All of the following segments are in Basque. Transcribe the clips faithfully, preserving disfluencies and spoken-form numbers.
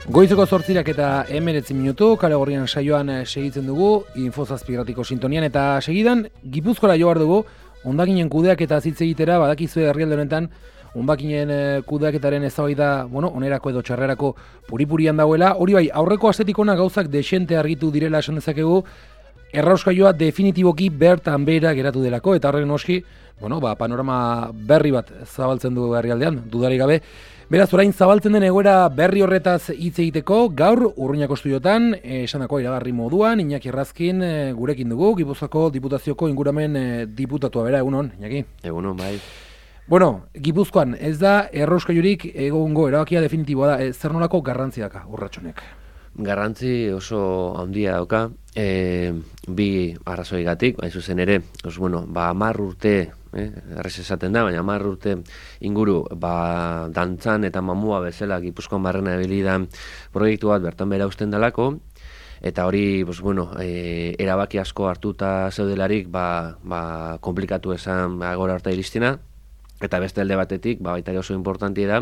Goizeko zortzirak eta hemeretzi minutu, kale gorrian saioan segitzen dugu, Infozazpigratiko sintonian, eta segidan, Gipuzkoara jo behar dugu, hondakinen kudeak eta zitze egitera, badakizue herrialde honetan, hondakinen kudeaketaren eztabaida, bueno, onerako edo txarrerako puripurian dagoela. Hori bai, aurreko astetik ona gauzak desente argitu direla esan dezakegu, errauskailua definitiboki bertan behera geratu delako, eta horren noski, bueno, ba, panorama berri bat zabaltzen du herrialdean, dudarik gabe. Beraz, orain zabaltzen den egoera berri horretaz hitz egiteko, gaur Urruñako estudiotan, esanako iragarri moduan, Iñaki Errazkin e, gurekin dugu, Gipuzkoako Diputazioko inguramen e, diputatua bera, egunon, Iñaki? Egunon, bai. Bueno, Gipuzkoan, ez da errauskailurik egongo erabakia definitiboa da, e, zer nolako garrantzi daka urratxonek? Garrantzi oso handia dauka, e, bi arrazoigatik, hain zuzen ere, os, bueno, ba, hamar urte, eh, errez esaten da, baina hamar urte inguru, ba, dantzan eta mamua bezala Gipuzkoan barrena ebilidan proiektu bat bertan bera usten dalako, eta hori, pues, bueno, e, erabaki asko hartuta zeudelarik, ba, ba, komplikatu esan agora harta iristina. Eta beste alde batetik, ba, baita oso importantia da,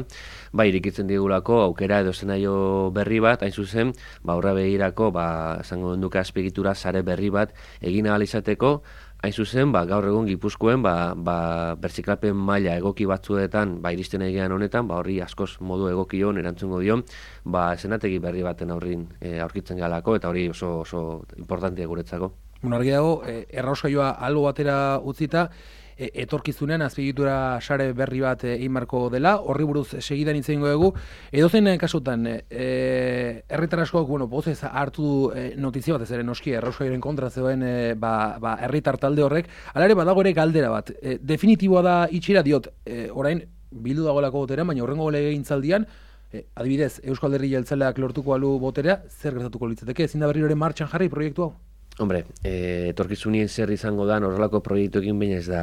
ba, irikitzen digulako aukera edo zenaio berri bat, hain zuzen, ba, aurra begirako, ba, esango duke azpiegitura sare berri bat egin ahal izateko, hain zuzen, ba, gaur egun Gipuzkoen, ba, ba, berziklapen maila egoki batzuetan, ba, iristen egean honetan, ba, horri askoz modu egokion erantzungo dion, ba, zenategi berri baten aurrin e, aurkitzen galako, eta hori oso, oso importantia guretzako. Bueno, argi dago, e, errauskailua albo batera utzita, etorkizunean azpiegitura sare berri bat egin marko dela, horri buruz segidan hitz egingo dugu. Edozein kasutan, e, herritar askok, bueno, pozez hartu du e, notizia bat, ez ere noski, errauskailuaren kontra zegoen e, ba, ba, herritar talde horrek, hala ere badago ere galdera bat. E, definitiboa da itxira diot, e, orain, bildu dagoelako botera, baina horrengo legegintzaldian, e, adibidez, Euskal Alderdi Jeltzaleak lortuko alu botera, zer gertatuko litzateke, ezin da berriro ere martxan jarri proiektu hau? Hombre, e, etorkizunien zer izango da, horrelako proiektuekin baina ez da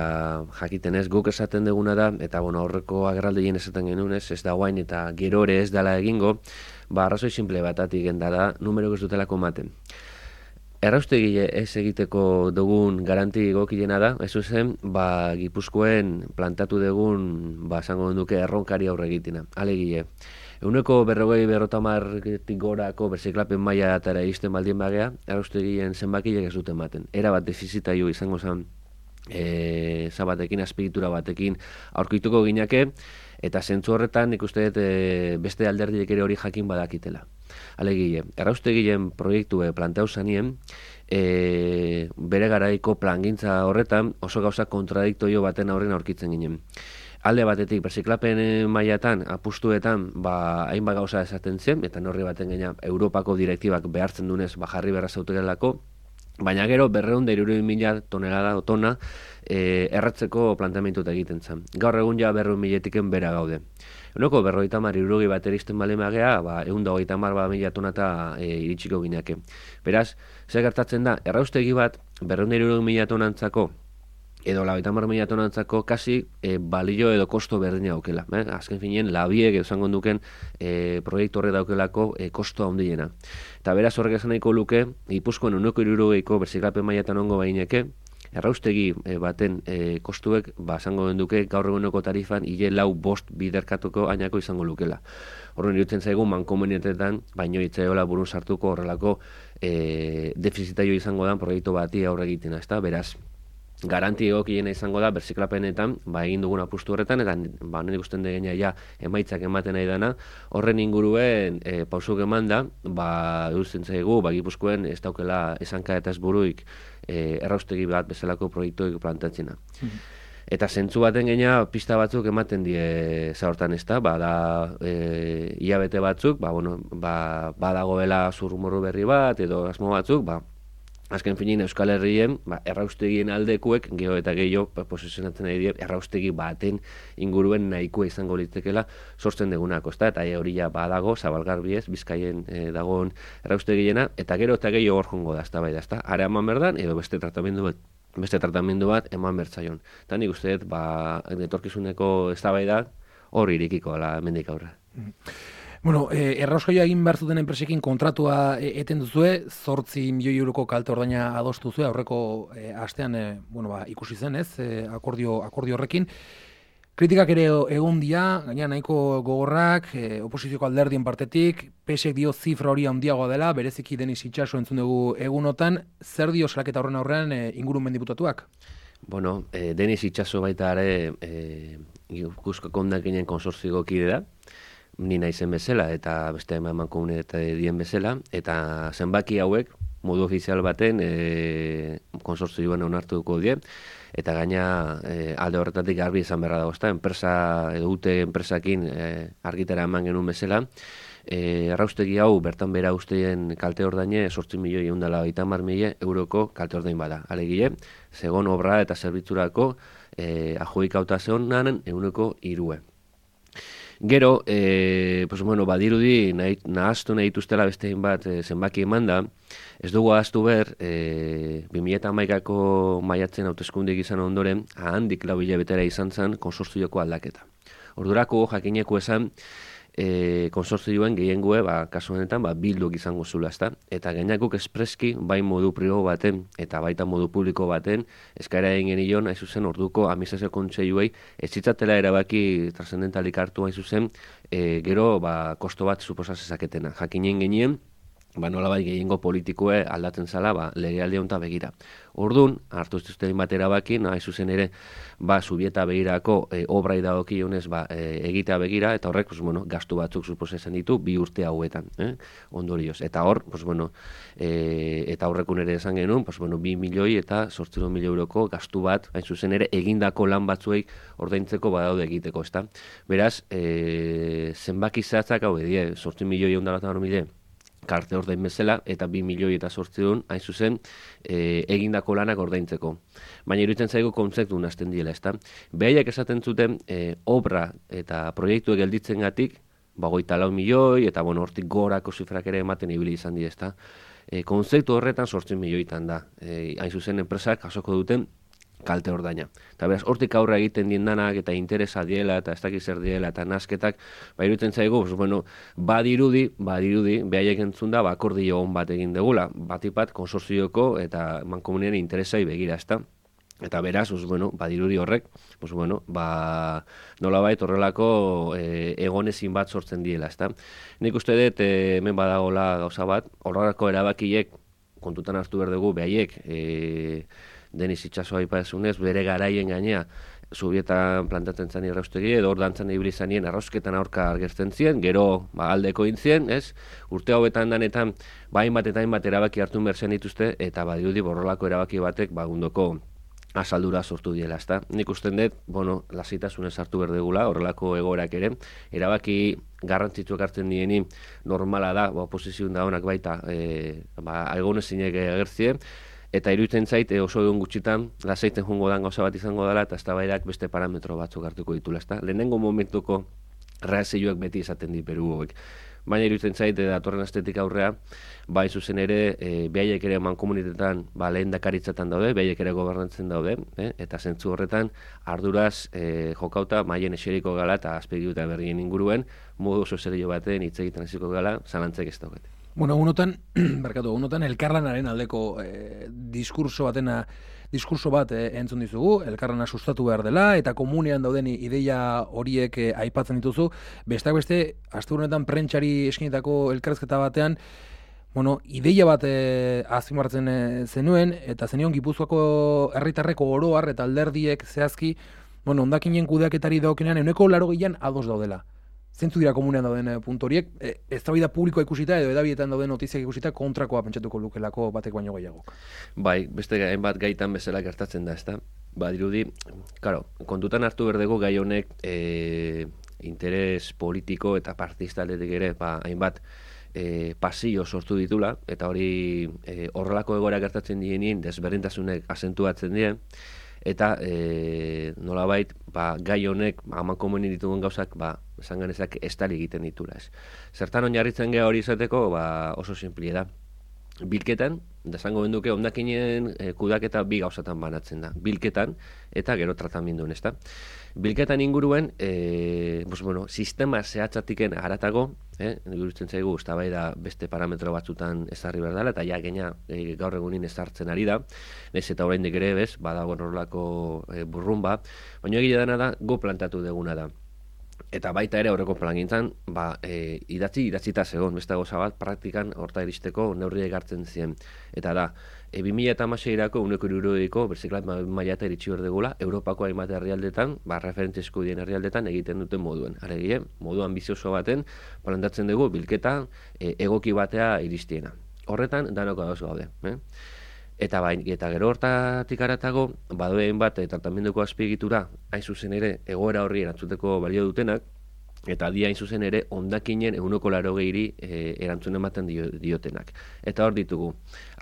jakiten ez, guk esaten duguna da, eta bueno, horreko agerraldeien esaten genuen ez, ez da guain eta gero ere ez dela egingo, ba, arrazoi simple batatik genda da, numero ez dutelako maten. Erraustegi ez egiteko dugun garanti gokilena da, ez zuzen, ba, Gipuzkoen plantatu dugun, ba, esango duke erronkari aurre egitina, alegile. Eguneko berrogei berrotamartik gorako berziklapen maila eta iristen baldien bagea, erraustegien zenbakiek ez dute ematen. Era bat defizitaio izango zen e, zabatekin, azpiegitura batekin aurkituko ginake, eta zentzu horretan nik uste dut e, beste alderdiek ere hori jakin badakitela. Alegile, erraustegien proiektue planteu zanien, e, bere garaiko plangintza horretan oso gauza kontradiktoio baten aurren aurkitzen ginen. Alde batetik, berziklapen mailatan, apustuetan, ba, hainbat gauza esaten zen, eta norri baten gaina Europako direktibak behartzen dunez, ba, jarri berra zauterelako, baina gero berreun da hirurehun mila tonelada tona e, erratzeko planteamentu egiten zen. Gaur egun ja berreun miletiken bera gaude. Eguneko berrogeita hamar hirurogeita bat eristen bale magea, ba, egun da hogeita hamar ba, mila tonata e, iritsiko gineake. Beraz, zer gertatzen da, erraustegi bat, berreun da hirurogei mila tonantzako, edo laurogeita hamar mila tonantzako kasi e, balio edo kosto berdina daukela. Eh? Azken finean, labiek edo zango duken e, proiektu horre daukelako e, kosto handiena. Eta beraz horrek esan nahiko luke, Gipuzkoan uneko hirurogeiko berziklapen mailatan ongo baineke, erraustegi e, baten e, kostuek, ba, zango duke gaur eguneko tarifan, hile lau bost biderkatuko ainako izango lukela. Horren irutzen zaigu, mankomunetetan, baino itzaiola burun sartuko horrelako e, defizitaio izango da proiektu bati aurre egiten, ezta? Beraz, garanti egokiena izango da berziklapenetan, ba, egin dugun apustu horretan, eta ba, nire ikusten degena ja emaitzak ematen nahi dana, horren inguruen e, pausuk eman da, ba, eusten zaigu, ba, Gipuzkoen ez daukela esanka eta ez buruik e, erraustegi bat bezalako proiektuik plantatzena. Mm-hmm. Eta zentzu baten gaina pista batzuk ematen die zaurtan ez da, ba, da e, hilabete batzuk, ba, bueno, ba, badagoela zurrumorru berri bat, edo asmo batzuk, ba, azken finin Euskal Herrien, ba, erraustegien aldekuek, geho eta gehiago, ba, posizionatzen nahi dira, erraustegi baten inguruen nahikoa izango litekela sortzen degunako, ezta? Eta hori ja badago, zabalgarbiez, Bizkaien e, dagoen erraustegiena, eta gero eta gehiago hor jongo da, ezta bai da, ezta? Ara eman berdan, edo beste tratamendu bat, beste tratamendu bat eman bertzaion. Eta nik uste dut, ba, etorkizuneko eztabaida hor irikiko ala hemendik aurra. Bueno, eh, errauskailua egin behar zuten enpresekin kontratua e, eten duzue, zortzi milioi euroko kalte ordaina adostu zuen, aurreko e, astean e, bueno, ba, ikusi zen, ez, e, akordio, akordio horrekin. Kritikak ere egon dia, gaina nahiko gogorrak, e, oposizioko alderdien partetik, P S ek dio zifra hori handiagoa dela, bereziki Denis Itxaso entzun dugu egunotan, zer dio salaketa horren aurrean e, ingurumen diputatuak? Bueno, e, Denis Itxaso baita ere e, Gipuzkoako hondakinen konsortzio kide da, ni naizen bezala eta beste eman komunitate dien bezala, eta zenbaki hauek modu ofizial baten e, konsortzioan onartuko die, eta gaina e, alde horretatik garbi izan beharra dago, ezta, enpresa edo ute enpresakin e, argitara eman genuen bezala, e, erraustegi hau bertan bera usteien kalte ordaine zortzi milioi eundala eta hamar mila euroko kalte ordain bada. Alegile, segon obra eta zerbitzurako e, ajoikautazonan euneko irue. Gero, e, pues, bueno, badirudi nahi, nahaztu nahi dituztela bestein bat e, zenbaki eman da, ez dugu ahaztu ber, e, bi mila hamaikako maiatzen hauteskundeak izan ondoren, handik lau hilabetera izan zen konsortzioko aldaketa. Ordurako jakineko esan, e, konsortzioen gehiengoe, ba, kasu honetan, ba, bilduk izango zula, ezta? Eta gainakuk espreski, bai modu pribo baten, eta baita modu publiko baten, eskaera egin genion, hain zuzen, orduko administrazio kontseiluei, ez zitzatela erabaki trascendentalik hartu hain zuzen, e, gero, ba, kosto bat suposa zezaketena. Jakinen genien, ba, nolabait gehiengo politikoe aldatzen zala, ba, legealdi honta begira. Ordun hartu zituzten bat erabaki, nahi zuzen ere, ba, Zubieta begirako e, obrai dagokionez ba, e, egitea begira, eta horrek, pues, bueno, gastu batzuk suposa esan ditu, bi urte hauetan, eh? Ondorioz. Eta hor, pues, bueno, e, eta horrekun ere esan genuen, pues, bueno, bi milioi eta zortziehun mila euroko gastu bat, hain zuzen ere, egindako lan batzuei ordaintzeko badaude egiteko, ezta? Beraz, e, zenbaki zehatzak hau edie, zortzi milioi eundala eta mila karte ordain bezala, eta bi milioi eta zortziehun, hain zuzen, e, egindako lanak ordaintzeko. Baina iruditzen zaigu kontzeptu nazten diela, ezta? Behaiak esaten zuten, e, obra eta proiektuek gelditzen gatik, bagoita lau milioi, eta bueno, hortik gorako zifrak ere ematen ibili izan di, ezta? E, kontzeptu horretan zortzi milioitan da. E, hain zuzen, enpresak jasoko duten kalte ordaina. Eta beraz, hortik aurra egiten diendanak eta interesa diela eta ez dakiz zer diela eta nasketak, ba, iruditzen zaigu, pues, bueno, badirudi, badirudi, behaiek entzun da, ba, akordio on bat egin degula, batipat konsorzioko eta mankomunien interesai begira, ezta? Eta beraz, pues, bueno, badirudi horrek, pues, bueno, ba, nolabait horrelako e, egonezin bat sortzen diela, ezta? Nik uste dut, e, hemen badagola gauza bat, horrelako erabakiek kontutan hartu behar dugu, behaiek, e, Denis Itxaso aipazunez, bere garaien gainea, Zubietan plantatzen zan irraustegi, edo hor dantzan ibili zanien arrausketan aurka agertzen zien, gero ba, aldeko intzien, ez? Urte hauetan danetan, ba, hainbat eta hainbat erabaki hartu merzen dituzte, eta badirudi borrolako erabaki batek bagundoko asaldura sortu diela, ezta? Nik usten dut, bueno, lasitasunez hartu berdegula, horrelako egoerak ere, erabaki garrantzitsuak hartzen dieni normala da, ba, oposizioen da honak baita, e, ba, egonezinek agertzien, eta iruditzen zait oso egun gutxitan lasaiten joango dan gauza bat izango dela eta eztabaidak beste parametro batzuk hartuko ditula, ezta? Lehenengo momentuko reakzioak beti izaten di Peru hauek. Baina iruditzen zait datorren astetik aurrea, bai zuzen ere, e, behaiek ere mankomunitetan ba, lehendakaritzatan daude, behaiek ere gobernantzen daude, eh? Eta zentzu horretan arduraz e, jokauta maien eseriko gala eta azpegi eta berrien inguruen, modu oso serio baten hitz egiten hasiko gala, zalantzek ez daukete. Bueno, unotan, barkatu, unotan elkarlanaren aldeko eh, diskurso batena, diskurso bat eh, entzun dizugu, elkarlana sustatu behar dela, eta komunean dauden ideia horiek eh, aipatzen dituzu. Besteak beste, aste honetan prentxari eskinetako elkarrezketa batean, bueno, ideia bat eh, azpimarratzen eh, zenuen, eta zenion Gipuzkoako herritarreko oroar eta alderdiek zehazki, bueno, hondakinen kudeaketari dagokenean, euneko laurogeian ados daudela. Zentzu dira komunean dauden puntu horiek, e, eztabaida publikoa ikusita edo edabietan dauden notiziak ikusita kontrakoa pentsatuko lukelako batek baino gehiagok. Bai, beste hainbat gaitan bezala gertatzen da, ezta? Ba, dirudi, claro, kontutan hartu berdego gai honek e, interes politiko eta partiztaletik ere, ba, hainbat e, pasio sortu ditula, eta hori e, horrelako egoera gertatzen dienien desberdintasunek azentuatzen dien, eta e, nolabait ba, gai honek aman komunen ditugun gauzak ba, esan ganezak estali egiten ditura. Ez. Zertan oinarritzen geha hori izateko ba, oso simplie da. bilketan, da esango benduke, hondakinen e, kudaketa bi gauzatan banatzen da. Bilketan eta gero tratamenduen, ezta? Bilketan inguruen, e, pues, bueno, sistema zehatzatiken haratago, eh, gurutzen zaigu, eztabaida beste parametro batzutan ezarri behar dela, eta ja gaina e, gaur egunin ezartzen ari da, nez eta oraindik ere, bez, badago horrelako e, burrumba, baina egia dena da, go plantatu deguna da. Eta baita ere aurreko plangintzan, ba, e, idatzi, idatzita zegoen, beste goza bat, praktikan horta iristeko neurriak hartzen ziren. Eta da, e, bi mila hamaseirako uneko hirurogeiko berziklat maila eta iritsi berdegula, Europako hainbat herrialdetan, ba, referentziesko dien herrialdetan egiten duten moduen. Aregie, modu ambizioso baten, plantatzen dugu, bilketa e, egoki batea iristiena. Horretan, danoko ados gaude. Eh? Eta bain, eta gero hortatik aratago, badoen bat e, tratamenduko azpiegitura, hain zuzen ere, egoera horri erantzuteko balio dutenak, eta dia hain zuzen ere, hondakinen eguneko laro gehiri e, erantzun ematen dio, diotenak. Eta hor ditugu,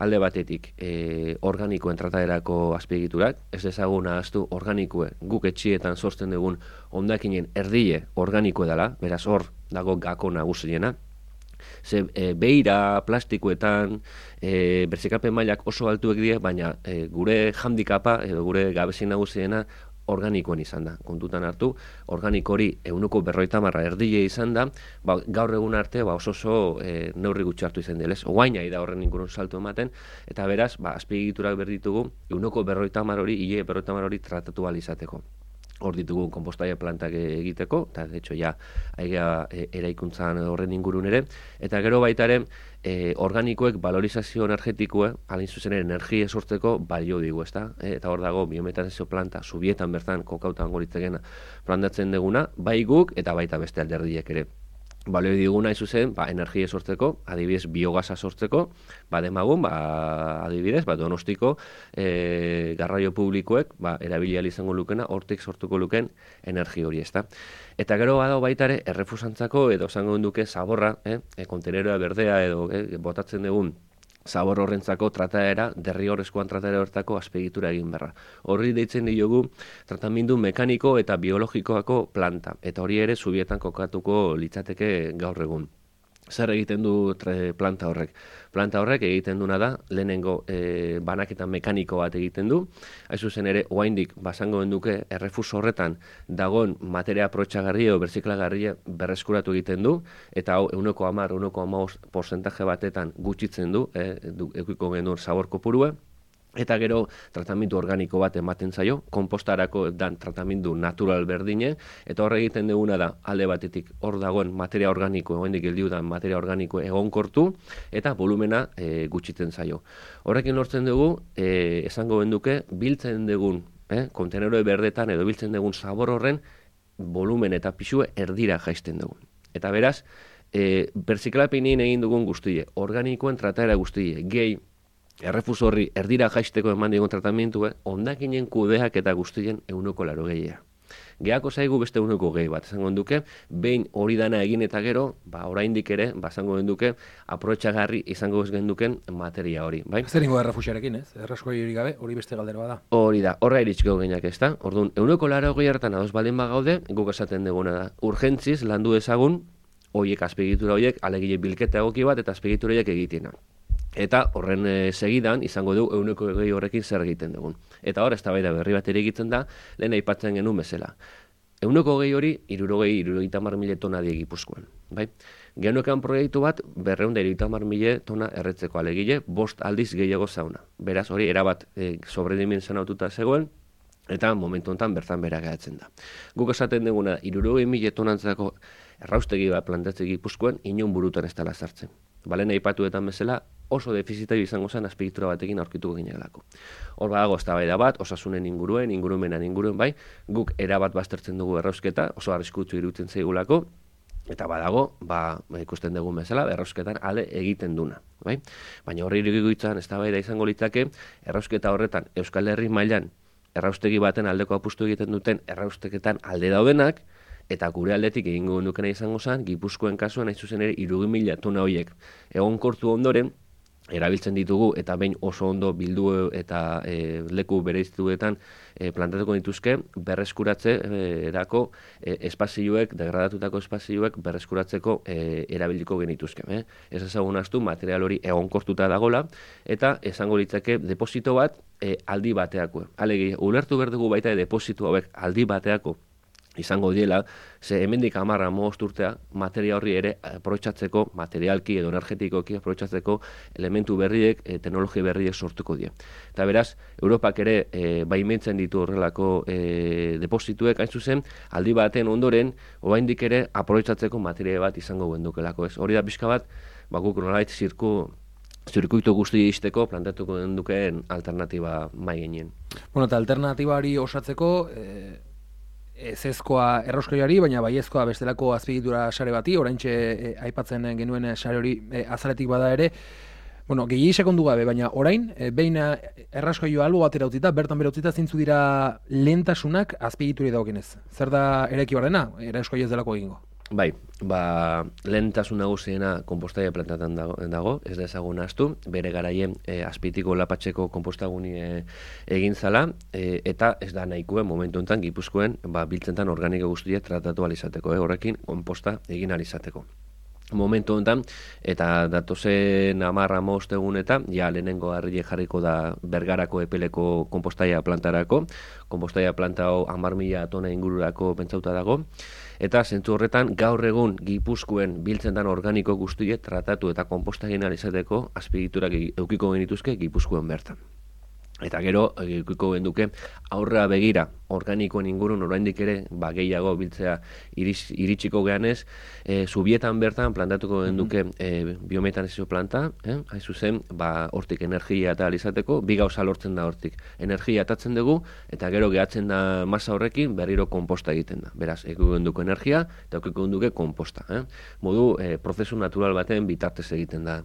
alde batetik, e, organikoen trataderako azpiegiturak, ez ezaguna ahaztu organikoe, guk etxietan sortzen dugun hondakinen erdile organikoe dela, beraz hor dago gako nagusiena. Ze e, beira, plastikoetan, e, berzikapen mailak oso altuek die, baina e, gure handikapa edo gure gabezi nagusiena organikoen izan da. Kontutan hartu, organiko hori ehuneko berrogeita hamar erdile izan da, ba, gaur egun arte ba, oso oso e, neurri gutxi hartu izan dela. Oain nahi da horren ingurun salto ematen, eta beraz, ba, azpiegiturak berditugu, ehuneko berrogeita hamar hori, hile berrogeita hamar hori tratatu ahal izateko. Hor ditugu konpostaia plantak egiteko, eta de hecho ja aigea e, eraikuntzan horren ingurun ere, eta gero baita ere e, organikoek valorizazio energetikoa, alin zuzen ere energia sortzeko balio digu, ezta? E, eta hor dago biometanizio planta, zubietan bertan kokautan goritzegena plantatzen deguna, bai guk eta baita beste alderdiek ere. Balio diguna izuzen, ba, energia sortzeko, adibidez biogasa sortzeko, ba, demagun, ba, adibidez, ba, Donostiko e, garraio publikoek, ba, erabilial izango lukena, hortik sortuko luken energia hori, ezta. Eta gero badago baita ere, errefusantzako, edo zango duke zaborra, eh, e, konteneroa berdea, edo eh, botatzen dugun, zabor horrentzako trataera, derrigorrezkoan trataera horretako azpiegitura egin berra. Horri deitzen diogu tratamendu mekaniko eta biologikoako planta. Eta hori ere zubietan kokatuko litzateke gaur egun. Zer egiten du planta horrek? Planta horrek egiten duna da, lehenengo e, banaketa mekaniko bat egiten du, hain zuzen ere, oaindik, basango duke errefuso horretan dagoen materia aprotxagarria o berziklagarria berreskuratu egiten du, eta hau, euneko hamar, euneko hamabost porcentaje batetan gutxitzen du, e, du ekuiko genuen zabor kopurua, eta gero tratamendu organiko bat ematen zaio, konpostarako dan tratamendu natural berdine, eta hor egiten duguna da, alde batetik hor dagoen materia organiko, oendik geldiu da materia organiko egonkortu, eta volumena e, gutxitzen zaio. Horrekin lortzen dugu, e, esango benduke, biltzen dugun, eh, konteneroi berdetan edo biltzen dugun zabor horren, volumen eta pisue erdira jaisten dugu. Eta beraz, e, berziklapinin egin dugun guztie, organikoen trataera guztie, gehi, errefuso horri erdira jaisteko eman digun tratamentu, eh, hondakinen kudeak eta guztien euneko laro gehia. Geako zaigu beste euneko gehi bat, esango duke, behin hori dana egin eta gero, ba, oraindik ere, ba, esango duke, aprotxagarri izango ez genduken materia hori. Bai? Zer ingo errefusiarekin, ez? Errasko hori gabe, hori beste galdera bada. Hori da, horra iritsiko geinak ez da. Orduan, euneko laro gehi hartan adoz baldin bagaude, guk esaten duguna da. Urgentziz landu ezagun, horiek azpiegitura horiek, alegile bilketa egoki bat eta azpiegitura horiek egitenak. Eta horren e, segidan izango du euneko gehi horrekin zer egiten dugun. Eta hor, eztabaida berri bat ere egiten da, lehen aipatzen genuen bezala. Euneko gehi hori, irurogei, irurogeita hamar mila tona die Gipuzkoan. Bai? Genuekan proiektu bat, berreunda irurogeita hamar mila tona erretzeko alegile, bost aldiz gehiago zauna. Beraz, hori erabat e, sobredimensionatuta zegoen, eta momentu honetan bertan bera gehatzen da. Guk esaten duguna, irurogei mila tonantzako erraustegi bat plantatzen Gipuzkoan, inon burutan ez dela sartzen. Balen aipatuetan bezala, oso defizitario izango zen azpiegitura batekin aurkituko ginealako. Hor badago eztabaida bat, osasunen inguruen, ingurumenan inguruen, bai, guk erabat baztertzen dugu errausketa, oso arriskutsu iruditzen zaigulako, eta badago, ba, ikusten dugu bezala, errausketan ale egiten duna, bai? Baina horri irugituan eztabaida izango litzake, errausketa horretan Euskal Herri mailan erraustegi baten aldeko apustu egiten duten errausteketan alde daudenak, eta gure aldetik egingo dukena izango zen, Gipuzkoen kasuan hain zuzen ere irurogei mila tona horiek egonkortu ondoren, erabiltzen ditugu eta behin oso ondo bildu eta e, leku bereiztuetan e, plantatuko dituzke berreskuratze e, erako e, espazioek, degradatutako espazioek berreskuratzeko e, erabiliko genituzke. Eh? Ez ezagun astu material hori egonkortuta dagola eta esango litzake deposito bat e, aldi bateako. Alegi, ulertu behar dugu baita deposito hauek aldi bateako izango diela, ze hemendik hamar hamabost urtea materia horri ere aprobetxatzeko, materialki edo energetikoki aprobetxatzeko elementu berriek, e, teknologia berriek sortuko die. Eta beraz, Europak ere e, baimentzen ditu horrelako e, deposituek, hain zuzen, aldi baten ondoren, oraindik ere aprobetxatzeko materia bat izango gendukelako, ez? Hori da pixka bat, bakuk nolait zirku zirkuitu guzti izteko plantatuko dukeen alternatiba mai genien. Bueno, eta alternatibari osatzeko, e... ezezkoa erroskaiari, baina baiezkoa bestelako azpiegitura sare bati, oraintxe e, aipatzen genuen sare hori e, azaletik bada ere, bueno, gehiagik sekondu gabe, baina orain, e, behin erraskailua albo batera utzita, bertan bera utzita zintzu dira lehentasunak azpiegituri dagokienez. Zer da eraiki barrena, erraskailua ez delako egingo? Bai, ba, lehentasun nagusiena konpostaia plantatan dago, dago, ez da ezagun astu, bere garaien e, azpitiko lapatxeko konpostaguni e, egin zala, e, eta ez da nahikoen momentu enten Gipuzkoen ba, biltzentan organiko guztia tratatu alizateko, e, horrekin konposta egin alizateko. Momentu honetan, eta datozen hamar hamabost egunetan, ja lehenengo harriek jarriko da Bergarako epeleko konpostaia plantarako, konpostaia planta hau hamar mila tona ingururako pentsauta dago, eta zentzu horretan gaur egun Gipuzkoen biltzentan organiko guztiek tratatu eta konposta egin izateko azpiegiturak eukiko genituzke Gipuzkoen bertan. Eta gero, eukiko genduke aurrera begira organikoen ingurun oraindik ere ba, gehiago biltzea iris, iritsiko geanez, e, zubietan bertan plantatuko genduke e, biometanizio planta, eh? hain zuzen, ba, hortik energia eta alizateko, bi gauza lortzen da hortik. Energia atatzen dugu, eta gero gehatzen da masa horrekin berriro konposta egiten da. Beraz, eukiko genduko energia, eta eukiko genduke konposta. Eh? Modu, e, prozesu natural baten bitartez egiten da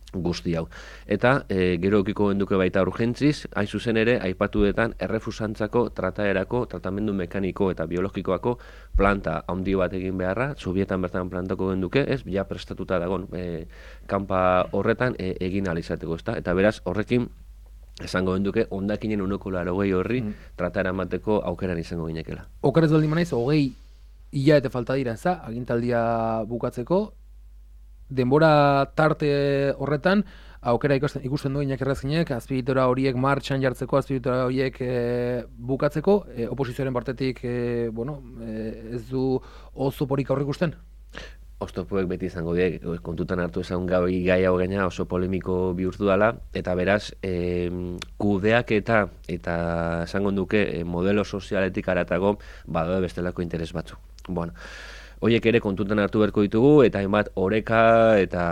guzti hau. Eta e, gero eukiko genduke baita urgentziz, hain zuzen ere, aipatuetan errefusantzako trataerako, tratamendu mekaniko eta biologikoako planta handi bat egin beharra, Sobietan bertan plantako genduke, ez, ja prestatuta dagon e, kanpa horretan e, egin alizateko, ezta? Eta beraz, horrekin, esango genduke, ondakinen uneko larogei horri mm. trataera mateko aukeran izango ginekela. Okerez baldin manaiz, hogei hilabete falta dira, ez da, agintaldia bukatzeko, denbora tarte horretan, aukera ikusten, ikusten du Iñaki Errazkinek, azpiegitura horiek martxan jartzeko, azpiegitura horiek e, bukatzeko, e, oposizioaren partetik e, bueno, e, ez du oztoporik aurre ikusten? Oztopoek beti izango diek, kontutan hartu ezagun gai gai hau gaina oso polemiko bihurtu dela, eta beraz, e, kudeak eta, eta esango duke, e, modelo sozialetik aratago, badaude bestelako interes batzu. Bueno, Hoiek ere kontutan hartu beharko ditugu, eta hainbat oreka eta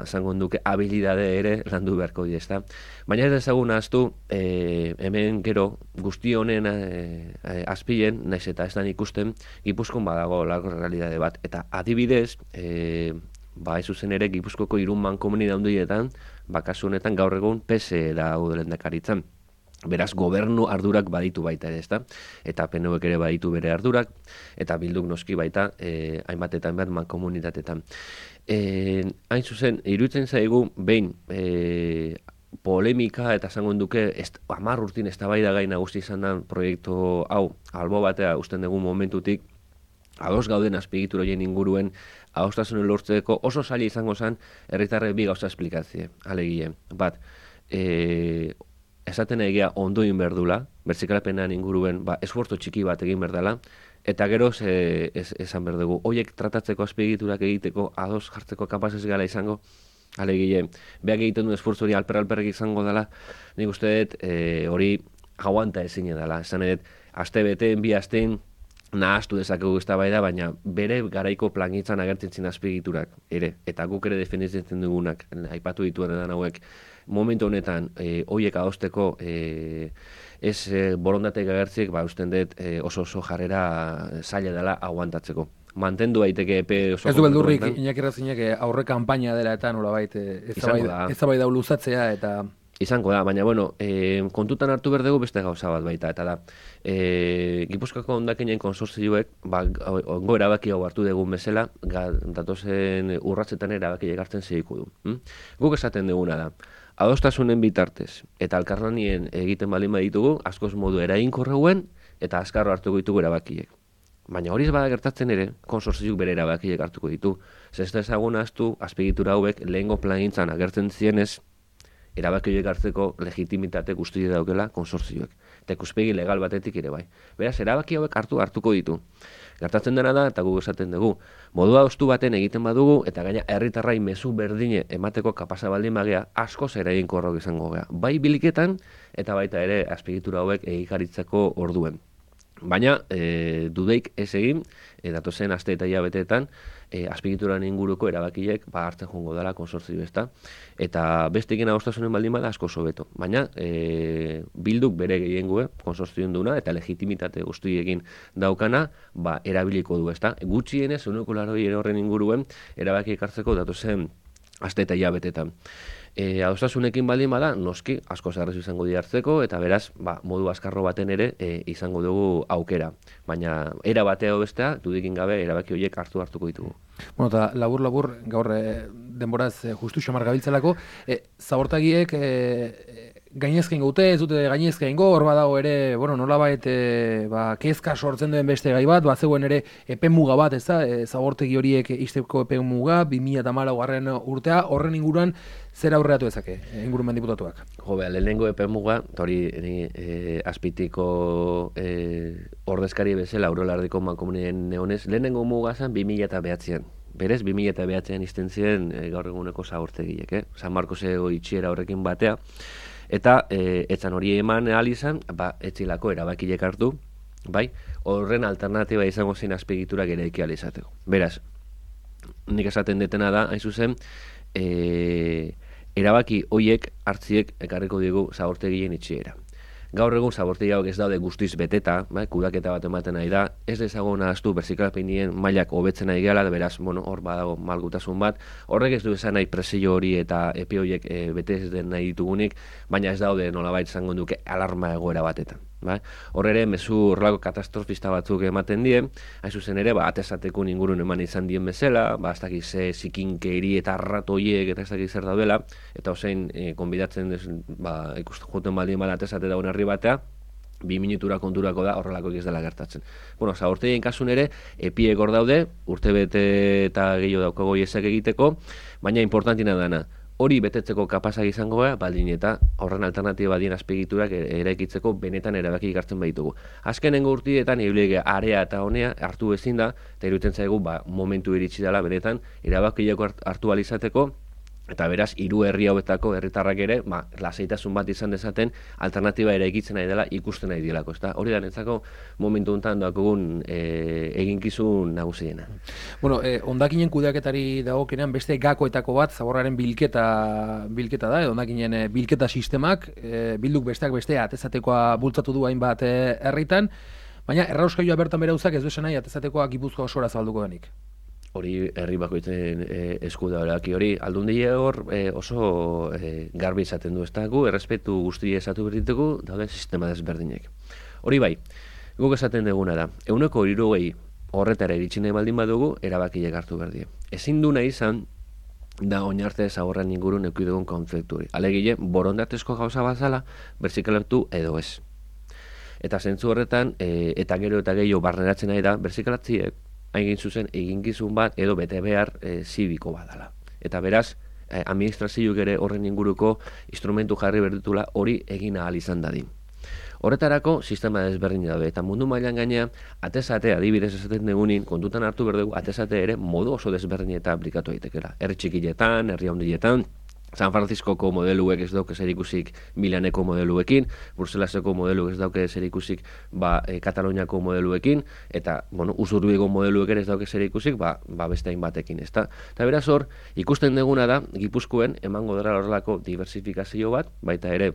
esango duke habilidade ere landu beharko dira, ezta. Baina ez dezagun ahaztu, e, hemen gero guzti honen e, azpilen, naiz eta ez da ikusten, Gipuzkoan badago largo realidade bat. Eta adibidez, e, ba ez zuzen ere Gipuzkoko hiru mankomunidade handietan, ba kasu honetan gaur egun P S E da lehendakaritzan. Beraz, gobernu ardurak baditu baita ere, ezta? Eta P N Vek ere baditu bere ardurak, eta Bilduk noski baita, eh, hainbatetan behar mankomunitatetan. Eh, hain zuzen, iruditzen zaigu, behin, eh, polemika eta esango duke, hamar urtin eztabaida gai nagusi izan da proiektu hau, albo batea usten dugu momentutik, ados gauden azpiegitura horien inguruen, adostasunen lortzeko oso zaila izango zen, herritarrek bi gauza esplikatzie, alegie. Bat, eh, esaten egia ondoin berdula, bertzikalapenan inguruen, ba, esfortzo txiki bat egin berdala, eta gero ze, ez, esan berdugu, hoiek tratatzeko azpiegiturak egiteko, ados jartzeko kapaz ez gala izango, alegile, behak egiten duen esfortzo hori alper-alperrek izango dela, nik uste dut e, hori aguanta ezin dela, esan edo, aste beteen, bi asteen, nahaztu dezakegu eztabaida, baina bere garaiko plangintzan agertzen zin azpiegiturak, ere, eta guk ere defenditzen dugunak, aipatu dituen edan hauek, momentu honetan, e, hoiek adosteko e, ez e, borondatek agertzik, ba, usten dut e, oso oso jarrera zaila dela aguantatzeko. Mantendu daiteke epe oso... Ez du beldurrik, Iñaki Errazkinek aurre kanpaina dela eta nolabait, ez da bai da luzatzea eta... izango da, baina, bueno, e, kontutan hartu behar dugu beste gauza bat baita, eta da, e, Gipuzkoako hondakinen konsortzioek, ba, ongo erabaki hau hartu dugun bezala, ga, datozen urratzetan erabaki egartzen segiko du. Hm? Guk esaten duguna da, adostasunen bitartez, eta alkarlanien egiten baldin baditugu, askoz modu eraginkorreuen, eta azkarro hartuko ditugu erabakiek. Baina hori ez bada gertatzen ere, konsortzioak bere erabakiek hartuko ditu. Zer ez da ezagun ahaztu, azpiegitura hauek lehengo plangintzan agertzen zienez, erabaki hartzeko legitimitate guztie daukela konsortzioek. Eta ikuspegi legal batetik ere bai. Beraz, erabaki hauek hartu hartuko ditu. Gertatzen dena da, eta guk esaten dugu, modua ostu baten egiten badugu, eta gaina herritarrai mezu berdine emateko kapasa baldin bagea, askoz eraginkorrak izango gea. Bai biliketan, eta baita ere azpiegitura hauek egikaritzeko orduen. Baina, e, dudeik ez egin, e, datozen aste eta hilabeteetan, e, azpiegituran inguruko erabakiek ba, hartzen joango dela konsortzio ezta. Eta bestekin adostasunen baldin bada asko sobeto. Baina, e, bilduk bere gehiengoe, konsortzioen duna, eta legitimitate guztiekin daukana, ba, erabiliko du ezta. Gutxienez, uneko laroi horren inguruen, erabakiek hartzeko datozen aste eta hilabetetan. E, adostasunekin baldin bada, noski, asko zarrez izango di hartzeko, eta beraz, ba, modu azkarro baten ere e, izango dugu aukera. Baina, era batea bestea, dudikin gabe, erabaki horiek hartu hartuko ditugu. Bueno, eta labur-labur, gaur e, denboraz e, justu xamar gabiltzalako, e, zabortagiek e, gainezken gaute, ez dute gainezken go, hor badago ere, bueno, nolabait e, ba, kezka sortzen duen beste gai bat, bat zegoen ere epe muga bat, ez da, e, zabortegi horiek izteko epe muga, bi mila hamalaugarren urtea, horren inguruan zer aurreatu ezake, ingurumen diputatuak? Jo, beha, lehenengo epe muga, eta hori e, azpitiko e, ordezkari bezala, Aurolardiko mankomunien neonez, lehenengo muga zen bi mila behatzean. Berez, bi mila behatzean izten ziren e, gaur eguneko zabortegiek, eh? San Marcoseko itxiera horrekin batea, eta e, etzan hori eman ahal izan, ba, etzilako erabakilek hartu, bai, horren alternatiba izango zen azpiegiturak ere eki ahal izateko. Beraz, nik esaten detena da, hain zuzen, e, erabaki hoiek hartziek ekarriko digu zabortegien itxiera. Gaur egun zabortegi hauek ez daude guztiz beteta, bai, kudaketa bat ematen nahi da, ez dezagun ahaztu berzikalpenien mailak hobetzen nahi gehala, beraz, bueno, hor badago malgutasun bat, horrek ez du esan nahi presio hori eta epe horiek e, bete ez den nahi ditugunik, baina ez daude nolabait izango duke alarma egoera batetan. Bai? Hor ere, mezu horrelako katastrofista batzuk ematen die, hain zuzen ere, ba, atezateko ingurun eman izan dien bezala, ba, ez dakiz ze zikinkeiri eta arratoiek eta ez dakiz zer daudela, eta osein, e, konbidatzen des, ba, ikusten joten baldin bala atezate daun herri batea, bi minutura konturako da horrelako ez dela gertatzen. Bueno, zabortegien kasun ere, epiek hor daude, urte bete eta gehiago daukago iezak egiteko, baina importantina dana, hori betetzeko kapazak izango gara, baldin eta horren alternatiba dien azpiegiturak eraikitzeko benetan erabaki hartzen baditugu. Azkenengo urtietan ibilege area eta honea hartu ezin da, eta iruditzen zaigu ba, momentu iritsi dela benetan erabakiak hartu alizateko, eta beraz, hiru herri hauetako herritarrak ere, ba, lasaitasun bat izan dezaten, alternatiba eraikitzen nahi dela ikusten nahi dielako. Ezta? Hori da netzako momentu honetan dakogun e, eginkizun nagusiena. Bueno, eh, hondakinen kudeaketari dagokenean beste gakoetako bat, zaborraren bilketa bilketa da, edo hondakinen eh, bilketa sistemak, eh, bilduk besteak bestea atezatekoa bultzatu du hainbat eh, herritan, baina errauskailua bertan bere uzak ez du esan nahi atezatekoa Gipuzkoa osora zabalduko denik. Hori herri bakoitzen e, esku da hori, aldundia hor e, oso e, garbi izaten du, ez da gu, errespetu guztia esatu berditugu, daude sistema desberdinek. Hori bai, guk esaten duguna da, euneko hirurogei horretara iritsi baldin badugu, erabakiek hartu berdie. Ezin du nahi izan, da oinarte zaborren ingurun eukidugun kontzeptu hori. Alegile, borondatezko gauza bazala, berzikalatu edo ez. Eta zentzu horretan, e, eta gero eta gehiago barneratzen nahi da, berzikalatziek, hain zuzen eginkizun bat edo bete behar e, zibiko badala. Eta beraz, e, administrazioak ere horren inguruko instrumentu jarri berditula hori egin ahal izan dadin. Horretarako, sistema desberdin daude, eta mundu mailan gainea, atezate, adibidez esaten dugunin, kontutan hartu berdugu, atezate ere modu oso desberdin eta aplikatu daitekela. Herri txikiletan, herri handietan, San Franciscoko modeluek ez dauke zerikusik Milaneko modeluekin, Bruselaseko modeluek ez dauke zerikusik ba, e, Kataloniako modeluekin, eta bueno, Usurbigo modeluek ez dauke zerikusik ba, ba beste hainbatekin, ezta? Eta beraz hor, ikusten duguna da, Gipuzkoen emango dela horrelako diversifikazio bat, baita ere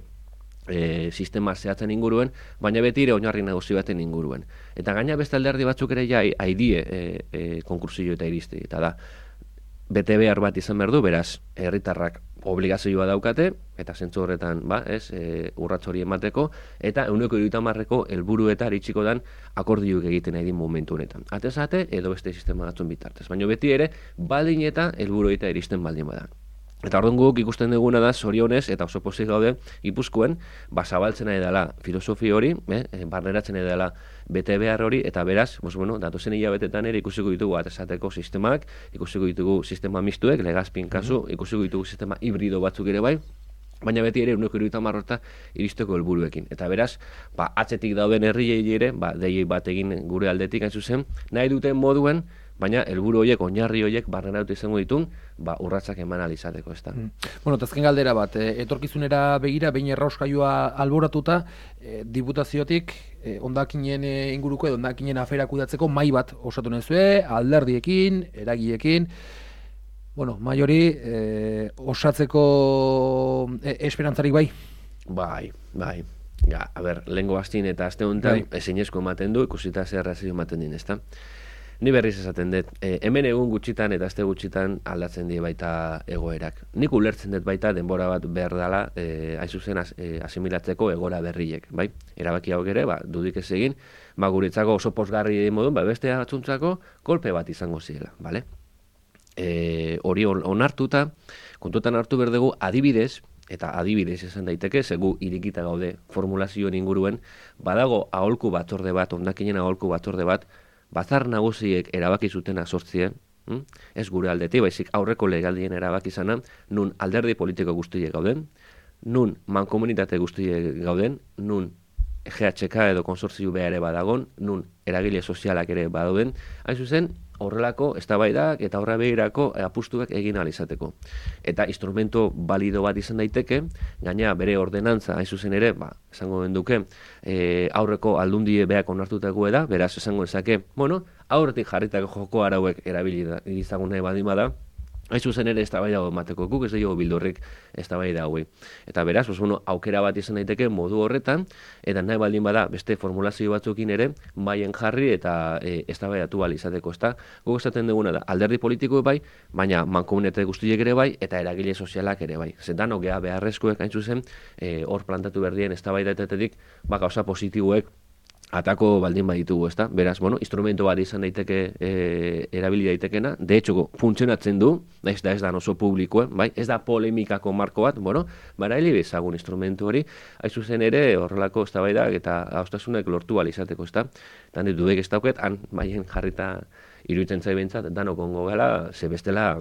e, sistema zehatzen inguruen, baina beti ere oinarri nagusi baten inguruen. Eta gaina beste alderdi batzuk ere ja haidie e, e, konkursio eta iristi, eta da, bete behar bat izan behar du, beraz, herritarrak obligazioa daukate, eta zentzu horretan, ba, ez, e, urrats hori emateko, eta ehuneko hirurogeita hamarreko helburueta iritsiko dan akordioak egiten nahi din momentu honetan. Atezate, edo beste sistema batzun bitartez. Baina beti ere, baldin eta helburueta iristen baldin bada. Eta orduan guk ikusten duguna da, zorionez, eta oso pozik gaude, Gipuzkoen, ba, zabaltzen nahi dela filosofi hori, eh, barneratzen nahi dela bete behar hori, eta beraz, bos, bueno, datozen hilabetetan ere ikusiko ditugu atesateko sistemak, ikusiko ditugu sistema mistuek, legazpin kasu, mm-hmm. ikusiko ditugu sistema hibrido batzuk ere bai, baina beti ere ehuneko hirurogeita hamar horta iristeko helburuekin. Eta beraz, ba, atzetik dauden herriei ere, ba, deiei bat egin gure aldetik hain zuzen, nahi duten moduen, baina helburu horiek, oinarri horiek barneratu izango ditun, ba, urratsak eman alizateko, ez da. Mm. Bueno, tazken galdera bat, e, etorkizunera begira, behin errauskailua alboratuta, e, diputaziotik, e, ondakinen e, inguruko edo ondakinen aferak kudatzeko mai bat osatu nezue, alderdiekin, eragiekin, bueno, mai hori e, osatzeko e, esperantzarik bai? Bai, bai. Ja, a ber, lehengo hastin eta aste honetan, bai. Ezinezko ematen du, ikusita zer razio ematen din, ez da. Ni berriz esaten dut, e, hemen egun gutxitan eta aste gutxitan aldatzen die baita egoerak. Nik ulertzen dut baita denbora bat behar dela, e, hain zuzen as, e, asimilatzeko egora berriek, bai? Erabaki hau ere, ba, dudik ez egin, ba, guretzako oso posgarri modun, ba, beste batzuntzako kolpe bat izango ziela, bale? E, hori onartuta, kontutan hartu behar dugu, adibidez, eta adibidez esan daiteke, segu irikita gaude formulazioen inguruen, badago aholku batzorde bat, ondakinen aholku batzorde bat, batzar nagusiek erabaki zutena sortzien, hm? Ez gure aldetik, baizik aurreko legaldien erabaki izana, nun alderdi politiko guztiek gauden, nun mankomunitate guztiek gauden, nun G H K edo konsortzio beha ere badagon, nun eragile sozialak ere badauden, hain zuzen, horrelako eztabaidak eta horra behirako apustuak egin ahal izateko. Eta instrumento balido bat izan daiteke, gaina bere ordenantza hain zuzen ere, ba, esango benduke, e, aurreko aldundie beak onartutako da, beraz esango ezake, bueno, aurretik jarritako joko arauek erabili izagun nahi badin bada, hain zuzen ere eztabaida emateko, guk ez dugu bildurrik eztabaida hauei. Eta beraz, pues, bueno, aukera bat izan daiteke modu horretan, eta nahi baldin bada beste formulazio batzukin ere, baien jarri eta e, eztabaidatu bali izateko, ezta? Guk esaten duguna da, alderdi politiko bai, baina mankomunitate guztiek ere bai, eta eragile sozialak ere bai. Zetan, ogea beharrezkoek hain zuzen, e, hor plantatu berdien eztabaidatetetik, ba, gauza positiboek atako baldin baditugu, ezta? Beraz, bueno, instrumento bat izan daiteke e, erabili daitekena, de hecho, funtzionatzen du, ez da ez da oso publikoa, bai? Ez da polemikako marko bat, bueno, baraili bezagun instrumentu hori, hain zuzen ere horrelako eztabaidak eta austasunek lortu ahal izateko, ezta? Tan ditu dek ez dauket, han baien jarrita iruditzen zaibentzat, danok ongo gala, ze bestela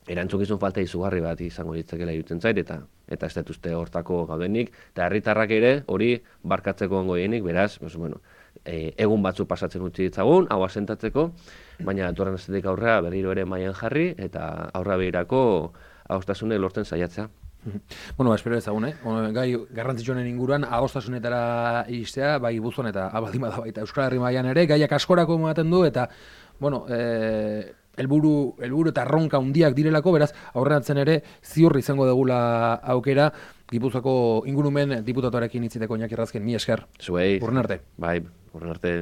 erantzukizun falta izugarri bat izango ditzakela iruditzen zait, eta eta ez detuzte hortako gaudenik, eta herritarrak ere hori barkatzeko ongo dienik, beraz, pues, bueno, e, egun batzu pasatzen utzi ditzagun, hau asentatzeko, baina etorren astetik aurrea berriro ere mailan jarri, eta aurra behirako adostasune lortzen saiatzea. Bueno, ba, espero ezagun, eh? Gai garrantzitsuenen inguruan, adostasunetara iristea, bai Gipuzkoan eta abaldima da baita Euskal Herri mailan ere, gaiak askorako ematen du, eta, bueno, eh, helburu helburu eta erronka handiak direlako, beraz, aurreratzen ere ziur izango degula aukera Gipuzkoako ingurumen diputatuarekin hitziteko Iñaki Errazkin, mi esker. Zuei. Urren arte. Bai, urren arte.